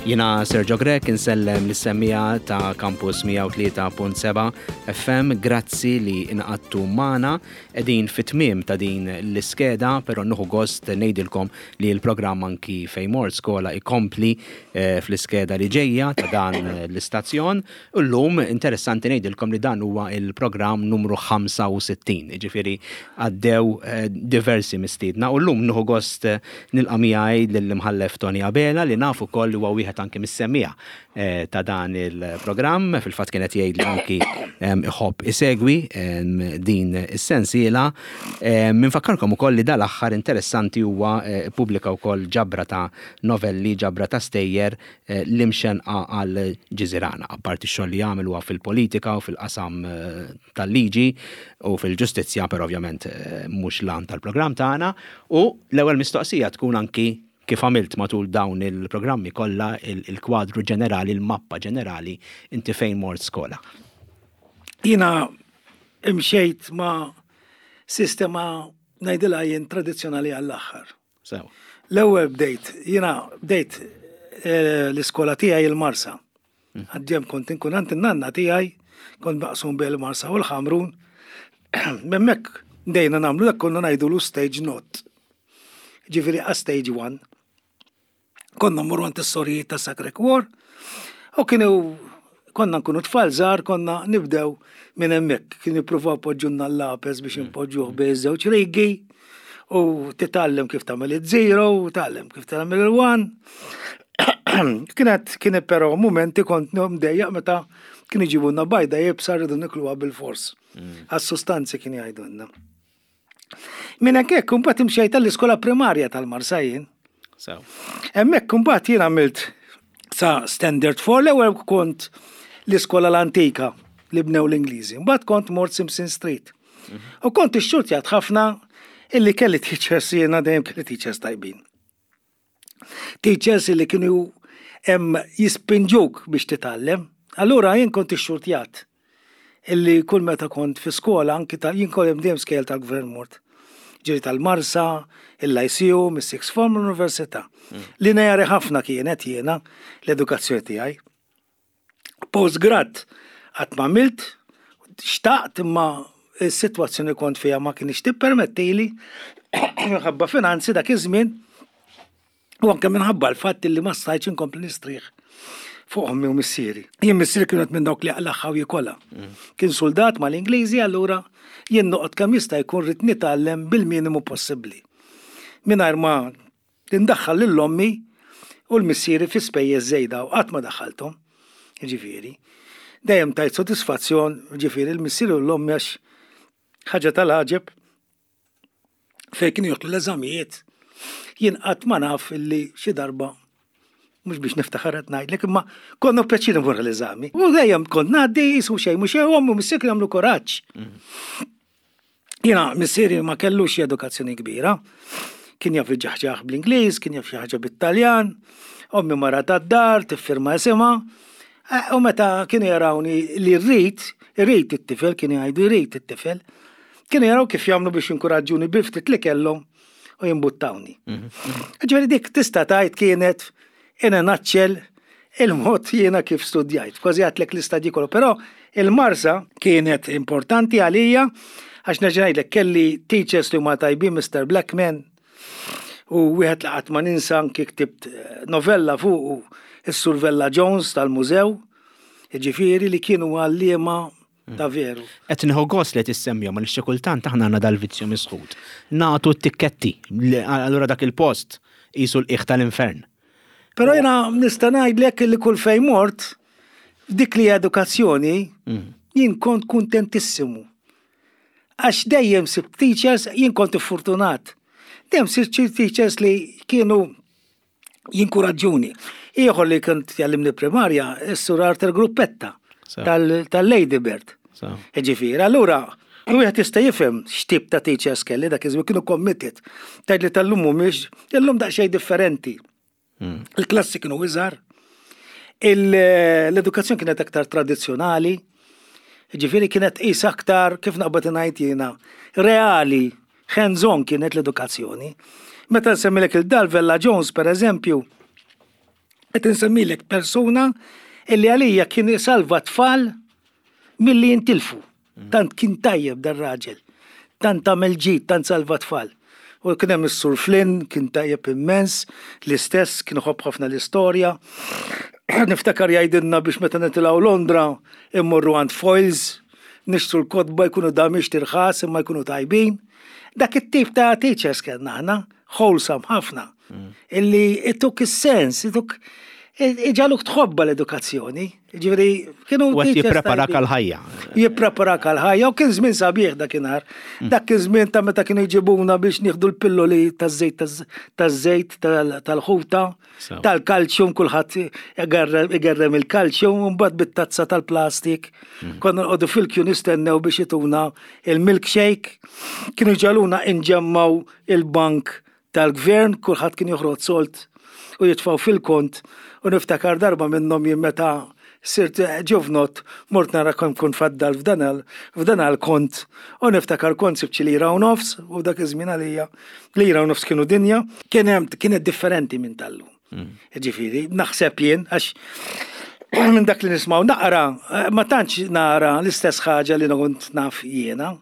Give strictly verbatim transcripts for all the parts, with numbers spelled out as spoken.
Jiena Sergio Grech, insellem lis-semmiegħa ta' Campus mija u tlieta punt seba' F M, grazzi li ngħaqadtu magħna. Qegħdin fit-tmiem ta' din l-iskeda, pero nieħu gost ngħidilkom li l-programm anki Fejn Mort Skola ikompli eh, fl-iskeda li ġejja ta' dan l-istazzjon. U llum interessanti ngħidilkom li dan huwa il-programm numru ħamsa u sittin, ġifieri għaddew eh, diversi mistiedna. U llum nieħu gost eh, nilqa' miegħi lill-Imħallef Tony Abela, li nafu koll li huwa wieħed anki mis-semmiegħa eh, ta' dan il-programm. Fil-fatt kienet jgħid li anki iħobb isegwi din is-sensiela. Minfakkarkom ukoll li dal-aħħar interessanti huwa eh, pubblika wkoll ġabra ta' novelli, ġabra ta' stejjer, eh, L-Imxenqa għal Ġiżirana. Apparti x-xogħol li jagħmel huwa fil-politika u fil-qasam tal-liġi u fil-ġustizzja, per ovvjament mhux l-għan tal-programm tagħna. U l-ewwel mistoqsija tkun anki kif għamilt matul dawn il-programmi kollha, il-kwadru ġenerali, il-mappa ġenerali, inti fejn mort skola? Jiena imxejt ma' sistema, ngħidilha jien, tradizzjonali għall-aħħar. Sew. L-ewwel bdejt, jiena bdejt eh, l-iskola tiegħi il-Marsa. Għaddjem kont inkun għand in-nanna tiegħi, kont maqsum bejn il-Marsa u l-Ħamrun. Hemmhekk bdejna nagħmlu dak konna ngħidulu stage nought. Ġifieri a stage one. Konna mmorru għand is-sorijiet ta' Sacre Cuore u kienu konna nkunu tfal żgħar, konna nibdew minn hemmhekk. Kienu jippruvaw poġġunna l-lapes biex impoġġuh bejn żewġ rigi u titgħallem kif tagħmel iż-zero u tgħallem kif tagħmel il-one. Kienet kienet però momenti kont mdejjaq meta kienu jġibulna bajda iebsa, rridu nikluha bil-fors. Għas-sustanzi kien jgħidulna. Minn hekk imbagħad imxejt tal-iskola primarja tal-Marsa jien. Sew. Hemmhekk imbagħad jien għamilt sa Standard four. L-ewwel kont l-iskola l-antika li bnew l-Ingliżi. Mbagħad kont mort Simpson Street. U kont ixxurtjat ħafna illi kelli teachers, jiena dejjem kelli teachers tajbin. Teachers illi kienu hemm jispinġuk biex titgħallem. Allura jien kont ixxurtjat illi kull meta kont fi skola, anki tal jien kont dejjem skejjel tal-gvern mort. Ġiri tal-Marsa, il-Lyceum, il-Sixth Form, l-Università. Lineari ħafna kienet jiena l-edukazzjoni tiegħi. Postgrad qatt ma għamilt, xtaqt imma s-sitwazzjoni kont fija ma kienx tippermettili minħabba finanzi dak iż-żmien u anke minħabba l-fatt li ma stajtx inkompli nistrieħ fuq ommi u missieri. Jien missieri kienet minn dawk li jaqlagħha u jikolha. Kien soldat mal-Ingliżi, allura jien noqgħod kemm jista' jkun rrid nitgħallem bil-minimu possibbli. Mingħajr ma tindaħħal lil ommi u l-missieri fi spejjeż żejda, u qatt ma daħħalthom. Ġifieri. Dejjem tajt sodisfazzjon, ġifieri, l-missieri u l-ommi, għax ħaġa tal-għaġeb fejn kienu joħdu l-eżamijiet. Jien qatt ma naf illi xi darba, mhux biex niftaħar qed ngħidlek, imma konna pjaċir nmur l-eżami. U dejjem kont ngħaddi jisu xejn mhux xejn, ommi u missieri kienu jagħmlu kuraġġ. Jiena missieri ma kellux edukazzjoni kbira. Kien jaf iġaħġaħ bl-Ingliż, kien jaf xi ħaġa bit-Taljan, ommi mara tad-dar, tiffirma isimha. Eh, U meta kienu jarawni li rrid, irrid it-tifel, kienu jgħidu rrid it-tifel, kienu jaraw kif jagħmlu biex jinkuraġġuni bil-ftit li kellhom u jimbuttawni. Ġifieri dik tista' tgħid kienet in a nutshell il-mod jiena kif studjajt. Kważi għedtlek l-istadji kollu, però il-Marsa kienet importanti għalija għax nerġa' ngħidlek kelli teachers li huma tajbin, Mister Blackman, u wieħed li qatt ma ninsa, anki ktibt eh, novella fuq, is-Sur Vella Jones tal-mużew, ġifieri li kienu għalliema ta' veru. Qed nieħu gost li tissemmihom għal xi kultant aħna għandna dal-vizzju misħut. Nagħtu t-tikketti, li- allura dak il-post qisu l-qiegħ tal-infern. Però jiena nista' ngħidlek li kull fejn mort, f'dik li edukazzjoni, jien kont kuntentissimu. Għax dejjem sibt teachers, jien kont fortunat. Dejjem sibt teachers li kienu jinkuraġġuni. Ieħor li kont jgħallimni primarja, is-Sur Arthur Gruppetta So. tal- tal-Lady Bird. So. Ġifieri, allura, wieħed jista' jifhem x'tip ta' teachers kelli dak iż-żmien, kienu committed. Tgħid li tal-lum mhumiex, illum daqsxejn differenti. Il-klassi kienu iżgħar, l-edukazzjoni kienet aktar tradizzjonali, ġifieri kienet qis aktar, kif naqbad ngħid jiena, reali, hands-on kienet l-edukazzjoni. Meta nsemmilek il-Dal Vella Jones, per eżempju, Qed insemmilek persuna illi għalija kien salva tfal milli jintilfu. Tant kien tajjeb dar-raġel. Tant għamel ġid, tant salva tfal. U kien hemm is-Sur Flynn, kien tajjeb immens, l-istess kien iħobb ħafna l-istorja. Niftakar jgħidilna biex meta nitilgħu Londra immorru għand Foyles, nixtru l-kotba, jkunu damiex tirħas imma jkunu tajbin. Dak it-tip ta' teachers kellna aħna, wholesome ħafna. Illi ituk is-sens, ituk iġagħluk tħobba l-edukazzjoni. Ġifieri, kienu U għet teachers jippreparak tajbin. għal-ħajja. Jippreparak għal-ħajja u kien żmien sabiħ dakinhar. Dak kien żmien ta' meta kienu jġibuna biex nieħdu l-pilloli taż-żejt taż-żejt tal-ħuta, Sew. tal-kalċjum, kulħadd igerrem il-kalċjum, u mbagħad bit-tazza tal-plastik. Konna nqogħdu fil-kju nistennew biex ituna il-milkshake. Kienu jġagħluna inġemmaw il-bank tal-gvern, kulħadd kien joħroġ sold u jitfaw fil-kont, u niftakar darba minnhom jien meta sirt ġuvnot mort nara kemm kun faddal f'dan il- f'dan il-kont u niftakar kont sibt xi lira u nofs, u dak iż-żmien għalija lira u nofs kienu dinja, kien hemm kienet differenti minn tal-lum. Ġifieri, naħseb jien, għax minn dak li nismaw naqra, ma tantx nara l-istess ħaġa li kont naf jiena.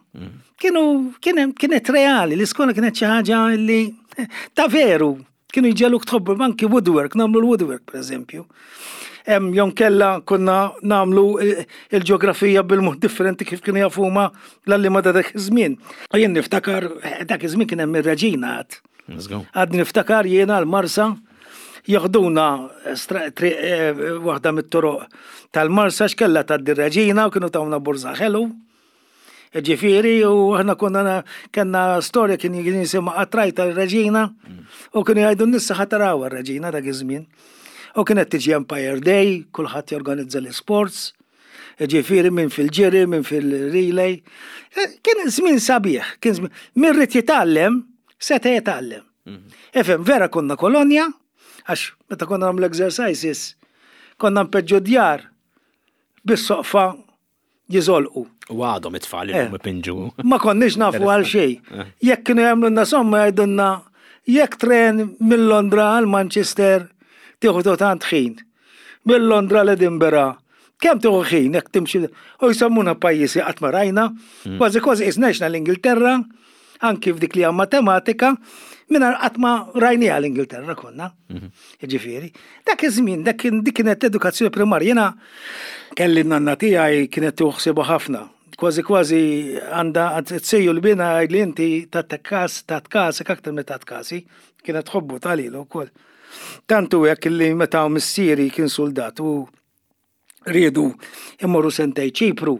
Kienu, kien kienet reali, l-iskola kienet xi ħaġa li ta' veru, kienu jġegħluk tħobbu anki woodwork, nagħmlu l-woodwork per eżempju. Em, jon kella konna nagħmlu il-ġeografija bil-mod differenti kif kienu jafuma l-għalliema ta' dak iż-żmien. U jien niftakar, eh, dak iż-żmien kien hemm ir-reġina għad. Let's go. Għad niftakar jiena l-Marsa joħduna stra- tri- eh, waħda mit-toroq tal-Marsa x'kella tgħaddi reġina u kienu tawna borża ħelu. Ġifieri, u aħna konna na- kellna storja kien kien jisimha Qatrajta l-Reġina u kienu jgħidu n-nissa ħa taraw ir-Reġina dak iż-żmien. U kienet tiġi Empire Day, kulħadd jorganizza l-sports, ġifieri minn fil-ġiri, minn fil-relay. Eh, Kien żmien sabiħ, kien żmien min ried jitgħallem, seta' jitgħallem. Ifhem, vera konna kolonja, għax meta konna nagħmlu exercises, konna npeġġu djar bis-soqfa jiżolqu. U għadhom it-tfal Eh. illum ipinġu. Ma konniex nafu għal xejn. Jekk kienu jagħmlu somma jgħidulna jekk tren mill Londra għal Manchester tieħu tant ħin. Mill Londra l Edinburgh kemm tieħu ħin jekk timxi u jsemmuna pajjiżi qatt ma rajna, kważi kważi isnexna l-Ingilterra, anki f'dik li hija matematika, mingħajr qatt ma rajniha l-Ingilterra konna. Ġifieri, dak iż-żmien, dak kien dik kienet edukazzjoni primarja. Jiena kelli n-nanna tiegħi kienet tuħsibu ħafna. Kważi kważi għandha t-sejju l-bina li inti ta' kas ta' tkasek aktar me ta' tkasi, kienet tħobbu talilu wkoll. Tantu hekk li meta missieri kien soldat u riedu immorru sentej Ċipru.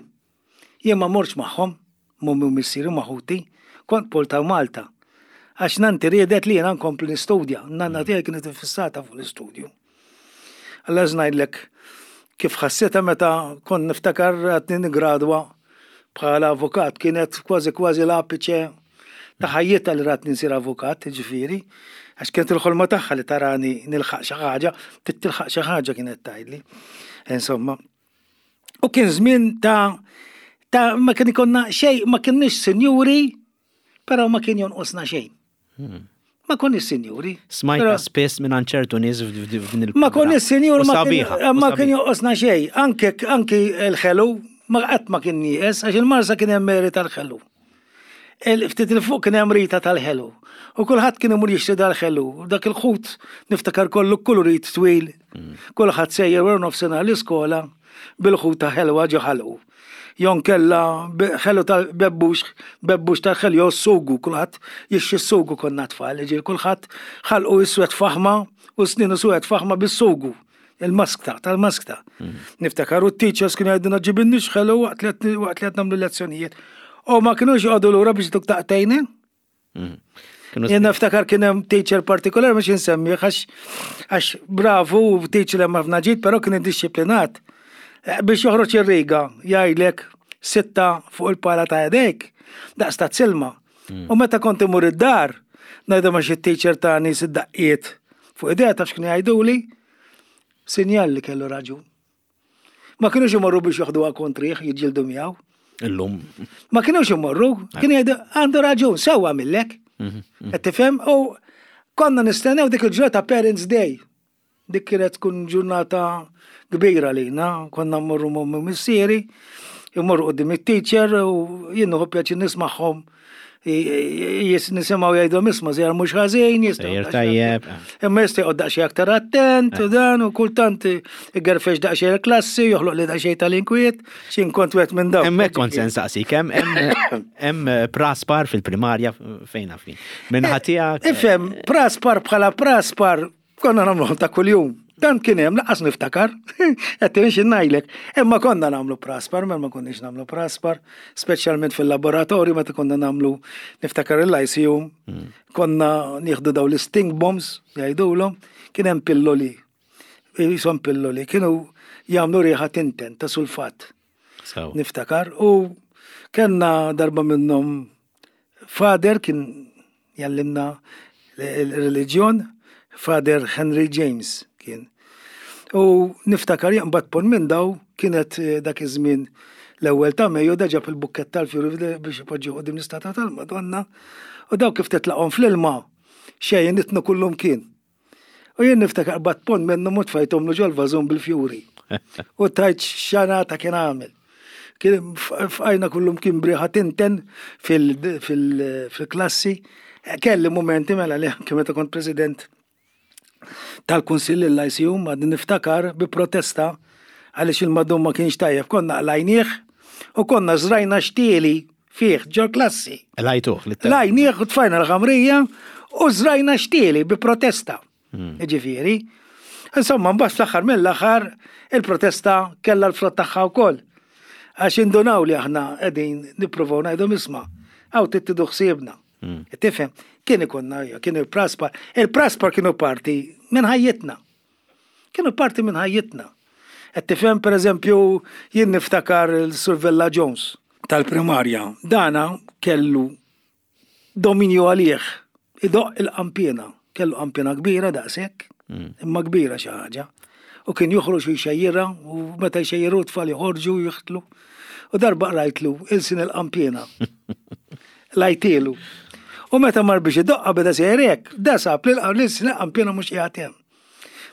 Jien ma morx magħhom, m'ommi u missieri ma' ħuti, kont polta Malta. Għax nanti riedet li jena nkompli nistudja, nanna tiegħi kienet fissata fuq l-istudju. Alla ngħidlek kif ħasseta meta kont niftakar għadni nigradwa bħala avukat, kienet kważi kważi l-apiċe ta' ħajjitha li ratni nsir avukat, ġifieri, għax kienet il-ħolma tagħha li tarani nilħaq xi ħaġa, tilħaq xi ħaġa kienet tgħidli. Insomma. U kien żmien ta' ta' ma kien ikonna xejn, ma kienniex sinjuri, però ma kien jonqosna xejn. Ma konniex sinjuri. Smajta Però- spiss minn ċertu nies f'din il Ma konniex sinjur, U ma kien sabiħa, u ma kien sabiħa. jonqosna xejn. Anke anke l-ħelu, ma qatt ma kien nieqes, għax il-Marsa kien hemm Meri tal-ħelu. Il- Ftit il-fuq kien hemm Rita tal-ħelu. U kulħadd kien imur jixtri dal-ħelu. U dak il-ħut niftakar kollu kulurit twil. Kulħadd sejjer wara nofsinhar l-iskola bil-ħut ta' ħelwa ġo ħalqu. Jon kella be- ħelu tal-bebbux, bebbux tal-ħelu, jew sugu, kulħadd jixxi sugu konna tfal, ġifieri kulħadd ħalqu iswed faħma u sninu suwed faħma bis-sugu. Il-maskta, tal-maskta. Niftakar u t-teachers kienu jgħiduna ġibinniex ħelu waqt li qed- waqt li qed nagħmlu lezzjonijiet. U ma kienux joqogħdu lura biex tuk taqtejna. Kienu Jien niftakar kien hemm teacher partikolari mhux insemmi għax għax bravu teacher hemm ħafna ġid, però kien iddixxiplinat. Eh, Biex joħroġ ir-riga jgħidlek sitta fuq il-pala ta' jdejk, daqs ta' silma. U meta kont imur id-dar, ngħidu ma xi teacher tani sitt daqqiet fuq idea taf x'kienu jgħiduli, sinjal li kellu raġun. Ma kienux imorru biex joħduha kontrih, jiġġieldu miegħu. Illum. Ma kienux imorru, kien jgħidu għandu raġun, sewwa millek. Qed tifhem? U konna nistennew dik il-ġurnata Parents Day. Dik kienet tkun ġurnata kbira lina, konna mmorru m'ommi missieri, immorru quddiem it-teacher u jien nieħu pjaċir nismagħhom jis nisimgħu jgħidu isma' żjar mhux ħażin, Sejjer tajjeb. Imma jista' joqgħod daqsxejn aktar attent u dan u kultant igerfex daqsxejn il-klassi, joħloq li daqsxejn tal-inkwiet, x'in kont wieħed minn dawk. Hemmhekk kont se nsaqsik, hemm hemm praspar fil-primarja fejn fin. Minn ħatijak. Ifhem, praspar bħala praspar konna nagħmluhom ta' kuljum. Dan kien hemm laqas niftakar, qed nimxi ngħidlek. Imma konna nagħmlu praspar, ma ma konniex nagħmlu praspar, speċjalment fil-laboratorju meta konna nagħmlu niftakar il-Lyceum, konna nieħdu daw l-stink bombs jgħidulhom, kien hemm pilloli. Jisom pilloli, kienu jagħmlu riħa tinten ta' sulfat. So. Niftakar u kellna darba minnhom Father kien jallimna l-reliġjon, Father Henry James kien. U niftakar jaqbad pon minn daw kienet eh, dak iż-żmien l-ewwel ta' Mejju da ġab il-bukkett tal-fjuri biex ipoġġu quddiem l-istatwa tal-Madonna u daw kif titlaqhom fl-ilma xejn nitnu kullum kien. U jien niftakar qbad pon minnhom u tfajthom ġol-vażun bil-fjuri. U tajt xanata kien għamel. Kien fqajna kullum kien b'riħa tinten fil-klassi. Kelli momenti mela li anke meta kont president tal-Kunsill l-Lyceum għad niftakar bi protesta għaliex il-madum ma kienx tajjeb, konna qlajnieh u konna żrajna xtieli fih ġol klassi. Lajtuh. Qlajnieh u tfajna l-ħamrija u żrajna xtieli bi protesta. Ġifieri. Insomma, mbagħad fl-aħħar mill-aħħar il-protesta kellha l-frott tagħha wkoll. Għax indunaw li aħna qegħdin nippruvaw ngħidu isma' hawn tieħdu ħsiebna. Tifhem, kien ikonna, kien il-praspar. Il-praspar kienu parti minn ħajjitna. Kienu parti minn ħajjitna. Qed tifhem, per eżempju, jien niftakar il-Sur Vella Jones tal-primarja. Dana kellu dominju għalih. Idoq il-qanpiena. Kellu qanpiena kbira daqshekk, imma kbira xi ħaġa. U kien joħroġ u jxejjirha u meta jxejjiru tfal joħorġu u jiħtlu. U darba qrajtlu ilsin il-qanpiena. Lajtielu. U meta mar biex idoqqa beda sejrek, da sab li l-ilsin il-qanpiena mhux qiegħed hemm.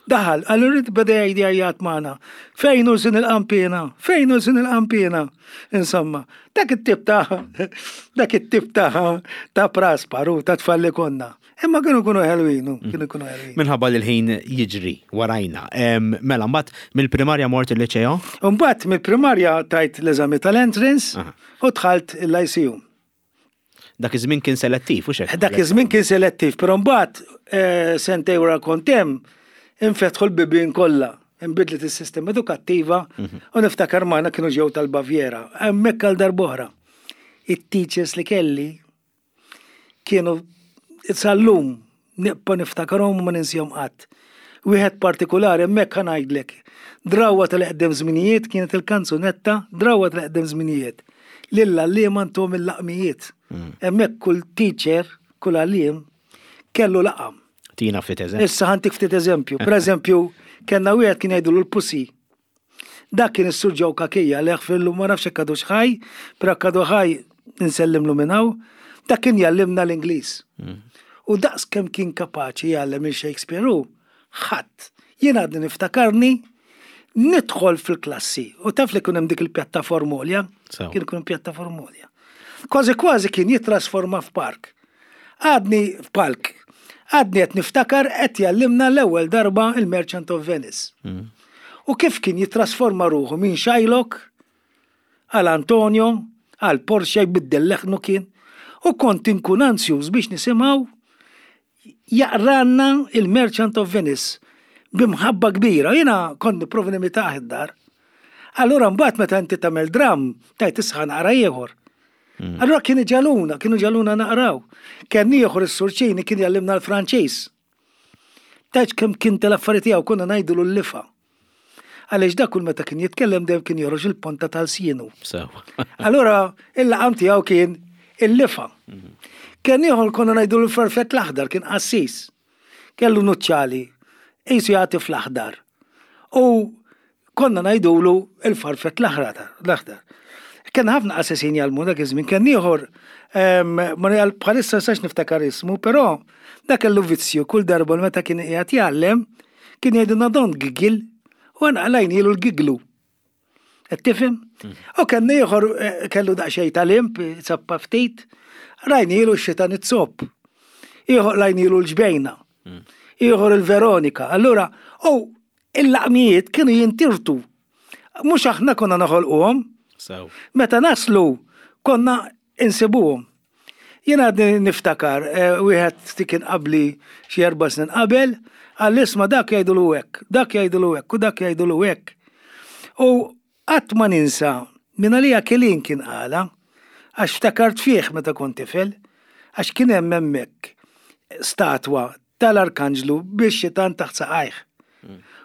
Daħal, għallu beda jgħid jgħajjat magħna. Fejn hu lsin il-qanpiena? Fejn hu lsin il-qanpiena? Insomma, dak it-tip ta' dak it-tip ta' ta' prasparu ta' tfal li konna. Imma kienu kunu ħelwinu, kienu kunu ħelwin. Minħabba li l-ħin jiġri warajna. Em, Mela, mbagħad mill-primarja mort il-liċeo? Mbagħad mill-primarja tajt l-eżami tal-entrance Aha. u dħalt l-Lyceum. Dak iż-żmien kien selettiv, u xek? Dak iż-żmien kien selettiv, però mbagħad eh, sentej wara kont hemm infetħu l-bibien kollha. Inbidlet is-sistema edukattiva u niftakar magħna kienu ġew tal-Baviera. Hemmhekk għal darb'oħra. It-teachers li kelli kienu sal-lum nibqa' niftakarhom u ma ninsihom qatt. Wieħed partikolari hemmhekk ħa ngħidlek. Drawwa tal-eqdem żminijiet kienet il-kanzunetta Drawwa tal-eqdem żminijiet. Lill-għalliema ntuhom il-laqmijiet. Hemmhekk kull teacher, kull għalliem kellu laqam. Tina ftit eżempju. Issa ħa ntik ftit eżempju. Per eżempju, kellna wieħed kien jgħidulu l-pussy. Dak kien is-Sur Ġew Kakija li fillu ma nafx hekk għadux ħaj, però għadu ħaj insellimlu minn hawn. Dak kien jallimna l-Ingliż. U daqs kemm kien kapaċi jgħallem il-Shakespeare hu, ħadd. Jien għadni niftakarni nidħol fil-klassi u taf li kien hemm dik il-pjattaforma għolja, Sew. kien ikun pjattaforma għolja. Kważi kważi kien jitrasforma f'park. Għadni f'palk. Għadni qed niftakar qed jallimna l-ewwel darba il-Merchant of Venice. U kif kien jitrasforma ruħu minn Shylock għal Antonio, għal Porsche jbiddel leħnu kien. U kont inkun ansjuż biex nisimgħu jaqranna il-Merchant of Venice b'imħabba kbira. Jiena kont nipprova nimitah id-dar. Allura mbagħad meta inti tagħmel dram, tajt isħan naqra ieħor. Allura kienu ġaluna, kienu ġaluna naqraw. Kien ieħor is-Sur Ċini kien jallimna l-Franċiż. Tajt kemm kien tal-affarijiet tiegħu konna ngħidulu l-lifa. Għaliex dak kull meta kien jitkellem dejjem kien joħroġ il-ponta tal-sienu. So. Allura il-laqam tiegħu kien il-lifa. Kien ieħor konna ngħidu l-farfett l-aħdar, kien qassis. Kellu nuċċali, qisu jagħti fl-aħdar. U konna ngħidulu il-farfett l-aħdar. l-aħdar. Kien ħafna qassisin jgħallmu dak iż-żmien, kien ieħor em, ma jgħal bħalissa sax niftakar ismu, però dak kellu vizzju kull darba meta kien qiegħed jgħallem Kien jgħidilna "Don't giggle", u aħna qlajnielu l-gigglu. Qed tifhem? U kien ieħor eh, kellu daqsxejn tal-imp, zappa ftit, rajnielu x-xitan it-zopp. Ieħor qlajnielu l-ġbejna. Ieħor il-Veronika. Allura, u il-laqmijiet kienu jintirtu. Mhux aħna konna noħolquhom, Sew. meta naslu konna insibuhom. Jena għadni niftakar, eh, wieħed ti kien qabli xi erba' snin qabel, għall isma' dak jgħidulu hekk, dak jgħidulu hekk u dak jgħidulu hekk. U qatt ma ninsa, minn għalija Kelin kien qala, għax ftakart fih meta kont tifel, għax kien hemm hemmhekk statwa tal-Arkanġlu biex xitan taħt saqajh.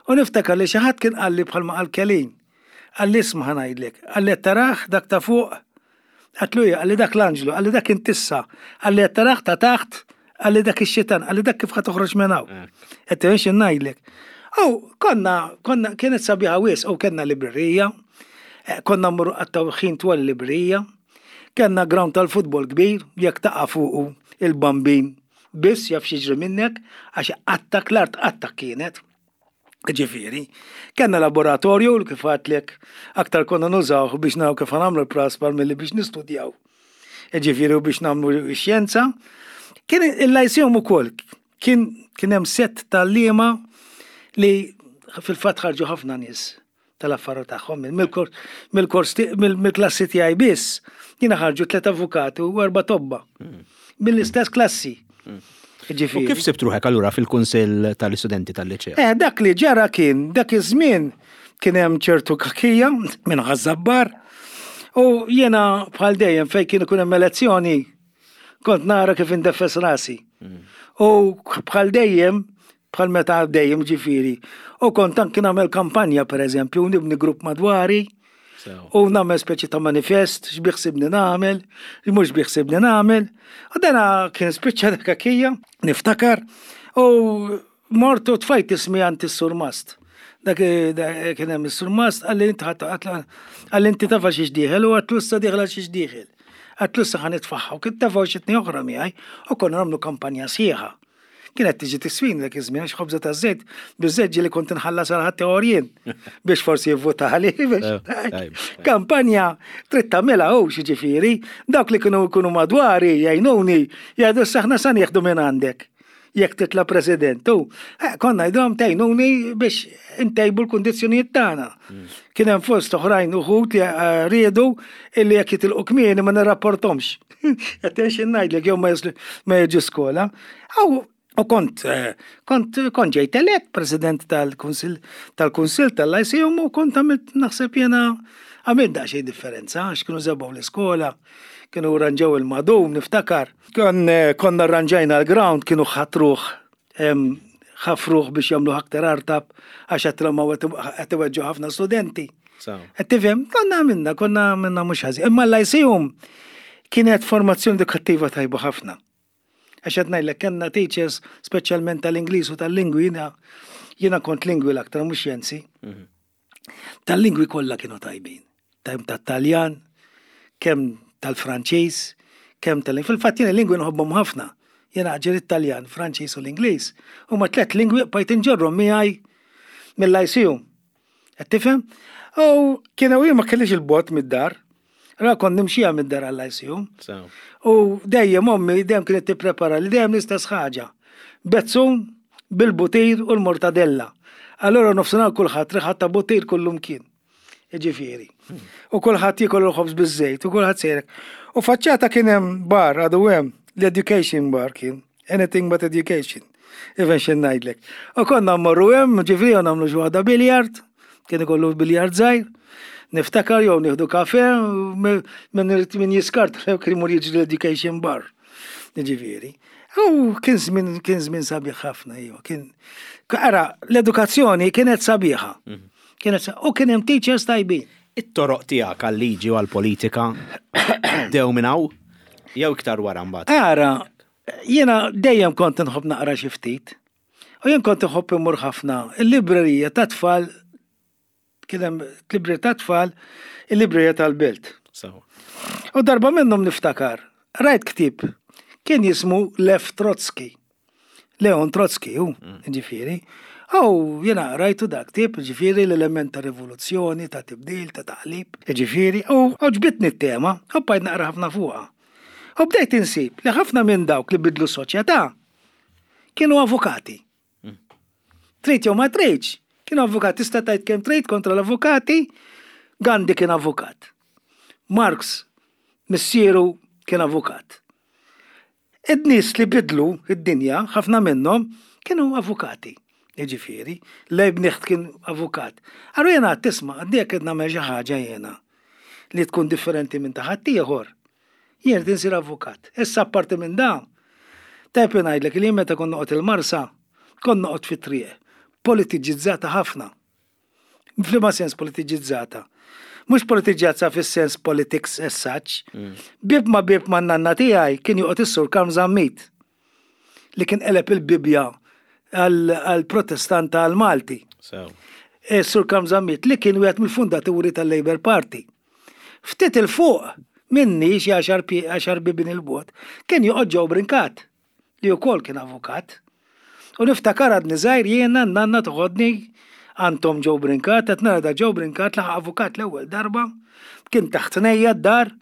U niftakar li xi ħadd kien qalli bħalma qal Kelin. Qalli isma' ħa ngħidlek, qalli tarah dak ta' fuq, għedtlu ija, qalli dak l-anġlu, qalli dak intissa, qalli tarah ta' taħt, qalli dak ix-xitan, qalli dak kif ħa toħroġ minn hawn. Qed xi ngħidlek. U konna, konna, kienet sabiħa wisq, u kellna librerija, eh, konna mmorru qattaw ħin twal librerija, kellna ground tal-futbol kbir, jekk taqa' fuqu il-bambin biss jaf x'jiġri minnek, għax qattak l-art qattak kienet. Ġifieri, kellna laboratorju li kif għedtlek aktar konna nużawh biex naraw kif nagħmlu l-praspar milli biex nistudjaw. Ġifieri u biex nagħmlu xjenza. Kien il-Lyceum ukoll kien kien hemm set tal-liema li fil-fatt ħarġu ħafna nies tal-affarijiet tagħhom mill-kors mill-klassi tiegħi biss jiena ħarġu tliet avukati u erba' tobba mill-istess klassi. U Ġifieri. kif sibt ruħek allura fil-Kunsill tal-Istudenti tal-Liċeo? Eh, dak li ġara kien, dak iż-żmien kien hemm ċertu kakija minn Ħaż-Żabbar u jiena bħal dejjem fejn kien ikun hemm elezzjoni kont nara kif indeffes rasi. U bħal dejjem, bħal meta dejjem ġifieri, u kont anki nagħmel kampanja pereżempju, u nibni grupp madwari, u nagħmel speċi ta' manifest, x'biħsibni nagħmel, mhux biħsibni nagħmel. U dana kien spiċċa dak kakija, niftakar, u mortu tfajt ismi għand is-surmast. Dak dak kien hemm is-surmast qalli inti ħadd qalli inti tafa xiex dieħel u għedtlu issa dieħel għal xiex dieħel. Għedtlu issa ħa nitfaħħa u kien tefgħu xi tnejn oħra miegħi u konna nagħmlu kampanja sħiħa. Kienet tiġi tiswin dak iż-żmien għax ħobża ta' żejt, biż-żejt ġieli kont inħallas għal ħadd jien biex forsi jivvotali biex. Eh, tajb, tajb. Kampanja trid tagħmilha hu ġifieri, dawk li kienu jkunu madwari jgħinuni jgħidu saħna sa nieħdu minn għandek. Jekk titla' president, u eh, konna ngħidulhom tgħinuni biex intejbu l-kundizzjonijiet tagħna. Kien hemm fost oħrajn uħud li eh, riedu illi jekk jitilqu kmieni ma nirrapportomx. Qed ngħidlek jew ma jaslu- ma jiġu skola. Aw U kont, eh, kont, kont ġejt elett president tal-Kunsill tal-Kunsill tal-Lyceum u kont għamilt naħseb jena għamilt daqsxejn differenza, għax kienu żebgħu l-iskola, kienu ranġaw il-madum, niftakar. Kon, eh, konna rranġajna l-ground, kienu ħatruħ, em, ħafruħ biex jagħmlu aktar artab, għax għat qed iweġġu ħafna studenti. Sew. Qed tifhem, konna għamilna, konna għamilna mhux ħażin. Imma l-Lyceum kienet formazzjoni edukattiva tajba ħafna. Għax qed ngħidlek kellna teachers speċjalment tal-Ingliż u tal-lingwi jiena jiena kont lingwi l-aktar mhux xjenzi. Tal-lingwi kollha kienu tajbin. Tajb tat-Taljan, kemm tal-Franċiż, kemm tal Fil-fatt jiena lingwi nħobbhom ħafna. Jiena ġir it-Taljan, Franċiż u l-Ingliż. Huma tliet lingwi bqajt inġorrhom miegħi mill-Lyceum. Qed tifhem? U kienu jien ma kellix il-bot mid-dar. Allora kont nimxija mid-dar għall-Lyceum. Sew. U dejjem ommi dejjem kienet tipprepara li dejjem l-istess ħaġa. Bezzun bil-butir u l-mortadella. Allora nofsinhar kulħadd riħa ta' butir kullum kien. Ġifieri. U kulħadd jiekol il-ħobż biż-żejt u kulħadd sejrek. U faċċata kien hemm bar għadu hemm, l-education bar kien. Anything but education. Even xi ngħidlek. U konna mmorru hemm, ġifieri u nagħmlu xi waħda biljard, kien ikollu biljard żgħir. Niftakar jew nieħdu kafe minn min jiskart kien imur jiġri l-education bar. Ġifieri. U kien żmien kien żmien sabiħ ħafna iva, kien Ara, l-edukazzjoni kienet sabiħa. Kienet sa- u kien hemm teachers tajbin. It-toroq tiegħek għal-liġi u għall-politika dew minn hawn jew iktar wara mbagħad. Ara, jiena dejjem kont nħobb naqra xi ftit. U jien kont nħobb immur ħafna il-librerija ta' tfal kien hemm librerija ta' tfal, il-librerija tal-belt. Sew. U darba minnhom niftakar, rajt ktib, kien jismu Lev Trotsky. Leon Trotsky, hu, ġifieri. Aw, jena rajtu dak tip, ġifieri l-element ta' rivoluzzjoni, ta' tibdil, ta' taqlib, ġifieri, u għoġbitni t-tema, u bqajt naqra ħafna fuqha. U bdejt insib li ħafna minn dawk li bidlu soċjetà kienu avukati. Trid jew ma tridx, kienu avukati, tista' tgħid kemm trid kontra l-avukati, Gandhi kien avukat. Marx, missieru kien avukat. Id-nies li bidlu id-dinja, ħafna minnhom, kienu avukati. Jiġifieri, Leibniz kien avukat. Allura jena tisma', għaddejja qed nagħmel xi ħaġa jena li tkun differenti minn ta' ħaddieħor. Jien rrid insir avukat. Issa apparti minn dan, tajb ngħidlek li meta kont noqgħod il-Marsa, kont noqgħod fit-triq, politiġizzata ħafna. F'liema sens politiġizzata? Mhux politiġizzata fis-sens politics as such. Bib ma bib ma nanna tiegħi kien joqgħod is-Sur Karm Zammit li kien qeleb il-Bibja għal-Protestanta għal-Malti. So. E, Sur Karm Zammit li kien wieħed mill-fundaturi tal-Labour Party. Ftit il-fuq minni xi għaxar pi- għaxar bibin il-bot, kien joqgħod Joe Brincat li wkoll kien avukat. U niftakar għadni żgħir jiena nanna toħodni għand Joe Brincat, qed nara da Joe Brincat laħaq avukat l-ewwel darba, kien taħt nejja d-dar,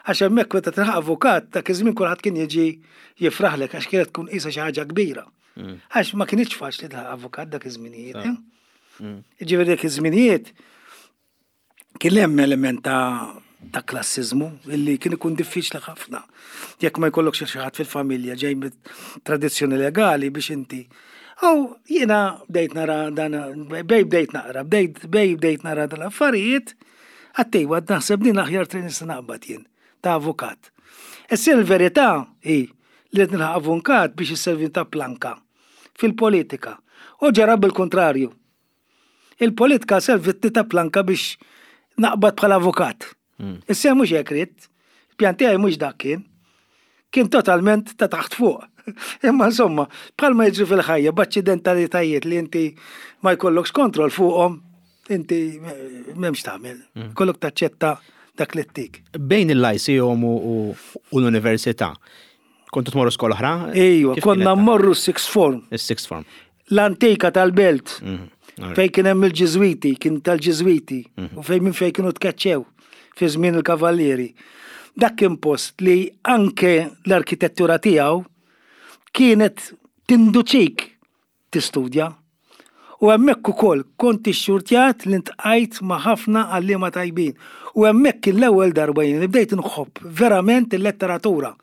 għax hemmhekk meta tilħaq avukat dak iż-żmien kulħadd kien jiġi jifraħlek għax kienet tkun qisha xi ħaġa kbira. Għax ma kienx faċli tilħaq avukat dak iż-żminijiet. eh? Ġifieri dak iż-żminijiet kien hemm element ta' ta' klassizmu illi kien ikun diffiċli ħafna. Jekk ma jkollokx xi ħadd fil-familja ġej mit tradizzjoni legali biex inti. Aw jiena bdejt nara dan bej bdejt naqra, bdejt bej bdejt nara dan l-affarijiet, għattejwa naħseb din aħjar triq nista' naqbad jien ta' avukat. Issa l-verità hi li qed nilħaq avukat biex isservi ta' planka fil-politika. U ġara bil-kontrarju. Il-politika servitti ta' planka biex naqbad bħala avukat. Issa mhux hekk ridt, il-pjan tiegħi mhux dak kien. Kien totalment ta' taħt fuq. Imma insomma, bħalma jiġri fil-ħajja, b'aċċidentalitajiet li inti ma jkollokx kontroll fuqhom, inti eh, m'hemmx tagħmel. Kollok taċċetta dak li ttik. Bejn il-Lyceum u, u, u l-università, kontu tmorru skola oħra? Ejwa, Kif konna kienet? mmorru sixth form, Is-sixth form. l-antika tal-belt. Mhm. Alright. Fej kien hemm il-Ġiżwiti, kien tal-Ġiżwiti, u fej minn fej kienu tkeċċew fi żmien il-Kavallieri. Dak kien post li anke l-arkitettura tiegħu kienet tinduċik tistudja. U hemmhekk ukoll kont ixxurtjat li ntqajt ma' ħafna għalliema tajbin. U hemmhekk kien l-ewwel darba jien li bdejt inħobb verament il-letteratura.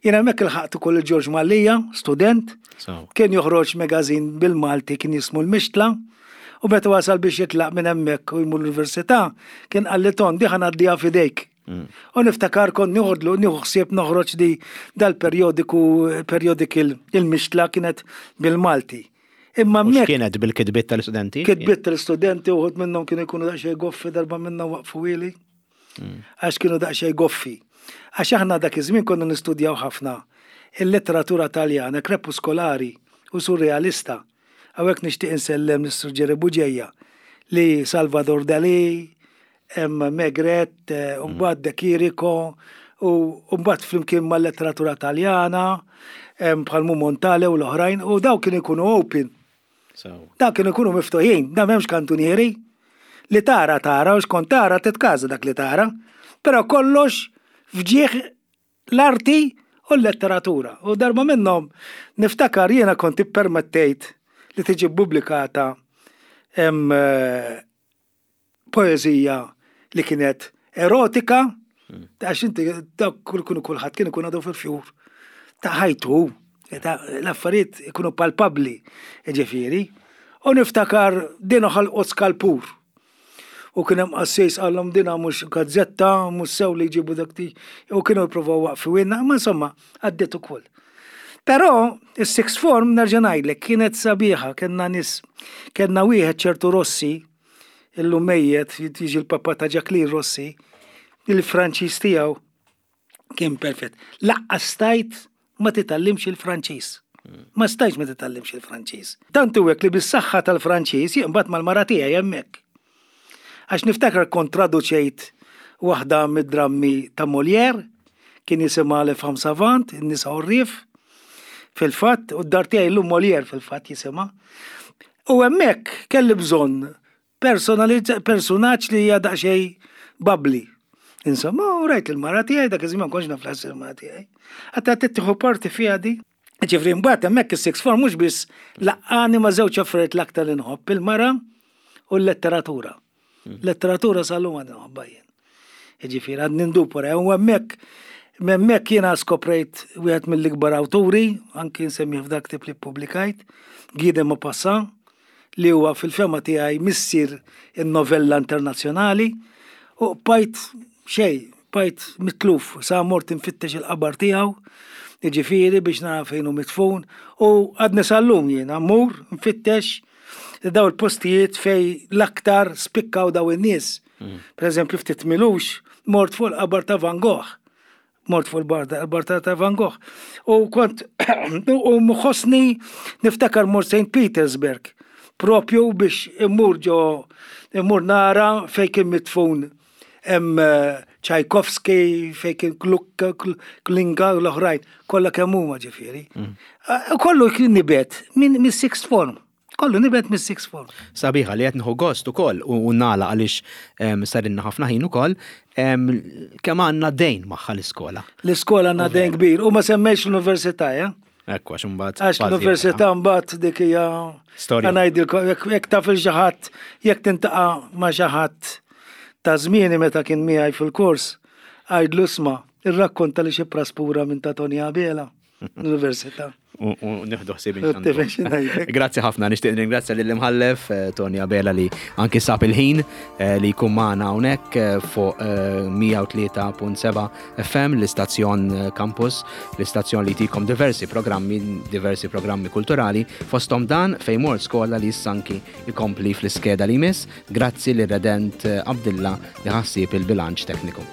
Jien hemmhekk ilħaqt ukoll il-Ġorġ Mallia, student, So. kien joħroġ magazine bil-Malti kien jismu l-Mixtla, u meta wasal biex jitlaq minn hemmhekk u jmur l-università, kien qalli Ton di ħa ngħaddiha f'idejk. U niftakar kont nieħodlu nieħu ħsieb noħroġ di dal-periodiku periodical il-Mixtla kienet bil-Malti. Imma U hemmhekk x'kienet bil-kitbiet tal-istudenti? kitbiet tal-istudenti uħud minnhom kienu jkunu daqsxejn goffi darba minnhom waqfu wili. Għax kienu daqsxejn goffi. Għax aħna dak iż-żmien konna nistudjaw ħafna il-letteratura taljana, krepuskolari u surrealista. Hawnhekk nixtieq insellem lis-Sur Ġeri Buġeja li Salvador Dali, hemm Maigret, eh, u mbagħad De Chirico, u u mbagħad flimkien mal-letteratura taljana, hemm bħal Montale u l-oħrajn, u daw kienu jkunu open. So. Da kienu jkunu miftuħin, da m'hemmx kantunieri. Li tara tara u xkont tara titkaża dak li tara. Però kollox fġieħ l-arti u l-letteratura. U darba minnhom niftakar jiena kont ippermettejt li tiġi pubblikata hemm eh, poeżija li kienet erotika, għax inti dak kull kunu kulħadd kien ikun għadu fil-fjur ta' ħajtu, ta' l-affarijiet ikunu palpabli, ġifieri. U niftakar din ħalqot skalpur. U kien hemm qassis qallhom dina mhux gazzetta, mhux sew li jġibu dak ti, u kienu jippruvaw waqfu winna, ma insomma, għaddiet ukoll. Però is-sixth form nerġa' ngħidlek kienet sabiħa, kellna nies, kellna wieħed ċertu Rossi, illum mejjet, jiġi l-papà ta' Jacqueline Rossi, il-Franċiż tiegħu kien perfett. Lanqas stajt ma titgħallimx il-Franċiż. Ma stajtx ma titgħallimx il-Franċiż. Tant hu hekk li bis-saħħa tal-Franċiż jien mbagħad mal-mara tiegħi hemmhekk. Għax niftakar kont traduċejt waħda mid-drammi ta' Molière, kien jisimha Les Femmes Savantes, in-nisa għorrief, fil-fatt, u d-dar tiegħi llum Molière fil-fatt jisimha. U hemmhekk kelli bżonn personaġġ li hija daqsxejn bubbly. Insomma, u rajt il-mara tiegħi, dak iż-żmien ma kontx naf il-mara tiegħi. Għedtilha, "Tieħu parti fiha di?" Ġifieri mbagħad hemmhekk is-sixth form mhux biss laqqagħni ma' żewġ affarijiet l-aktar li nħobb, il-mara u l-letteratura. Hmm. Letteratura sal-lum għadni nħobbha jien. Ġifieri għad nindub wara, u hemmhekk hemmhekk jiena skoprejt wieħed mill-ikbar awturi, anki nsemmi f'dak ktieb li ppubblikajt, Guy de Maupassant, li huwa fil-fehma tiegħi missier in-novella internazzjonali, u bqajt xej, bqajt mitluf, sa mort infittex il-qabar tiegħu, ġifieri biex nara fejn hu mitfun, u għadni sal-lum jiena mmur nfittex daw il-postijiet fej l-aktar spikkaw daw in-nies. Mm. Per eżempju, ftit m'ilux, mort fuq il-qabar ta' Van Gogh. Mort fuq il-qabar ta' Van Gogh. U kont, u mħossni niftakar mort Saint Petersburg, propju biex immur ġo, immur nara fej kien mitfun hemm eh, Tchaikovsky, fej kien Glinka u l-oħrajn, kollha kemm huma ġifieri. Mm. Eh, kollu kien nibet minn sixth form. Kollu nibet mis sixth form. Sabiħa li qed nieħu gost ukoll u nagħlaq għaliex sarinna ħafna ħin ukoll kemm għandna dejn magħha l-iskola. L-iskola għandna dejn kbir u ma semmejx l-università, ja? Ekku, għax imbagħad. Għax l-università mbagħad dik hija storja. Ngħidilkom jekk taf il xi ħadd, jekk tiltaqa' ma' xi ħadd ta' żmieni meta kien miegħi fil-kors, għajdlu, "Isma', irrakkonta li xi praspura minn ta' Tony Abela l-università." U nieħdu ħsieb. Grazzi ħafna, nixtieq ringrazzja lill imħallef eh, Tony Abela li anki sab il-ħin eh, li jkun magħna hawnhekk eh, fuq mija u tlieta punt seba' F M, l-istazzjon Campus, l-istazzjon li jtikom diversi programmi, diversi programmi kulturali, fostom dan Fejn Mort Skola li issa anki jkompli fl-iskeda li jmiss. Grazzi li Redent Abdilla li ħa ħsieb il-bilanċ tekniku.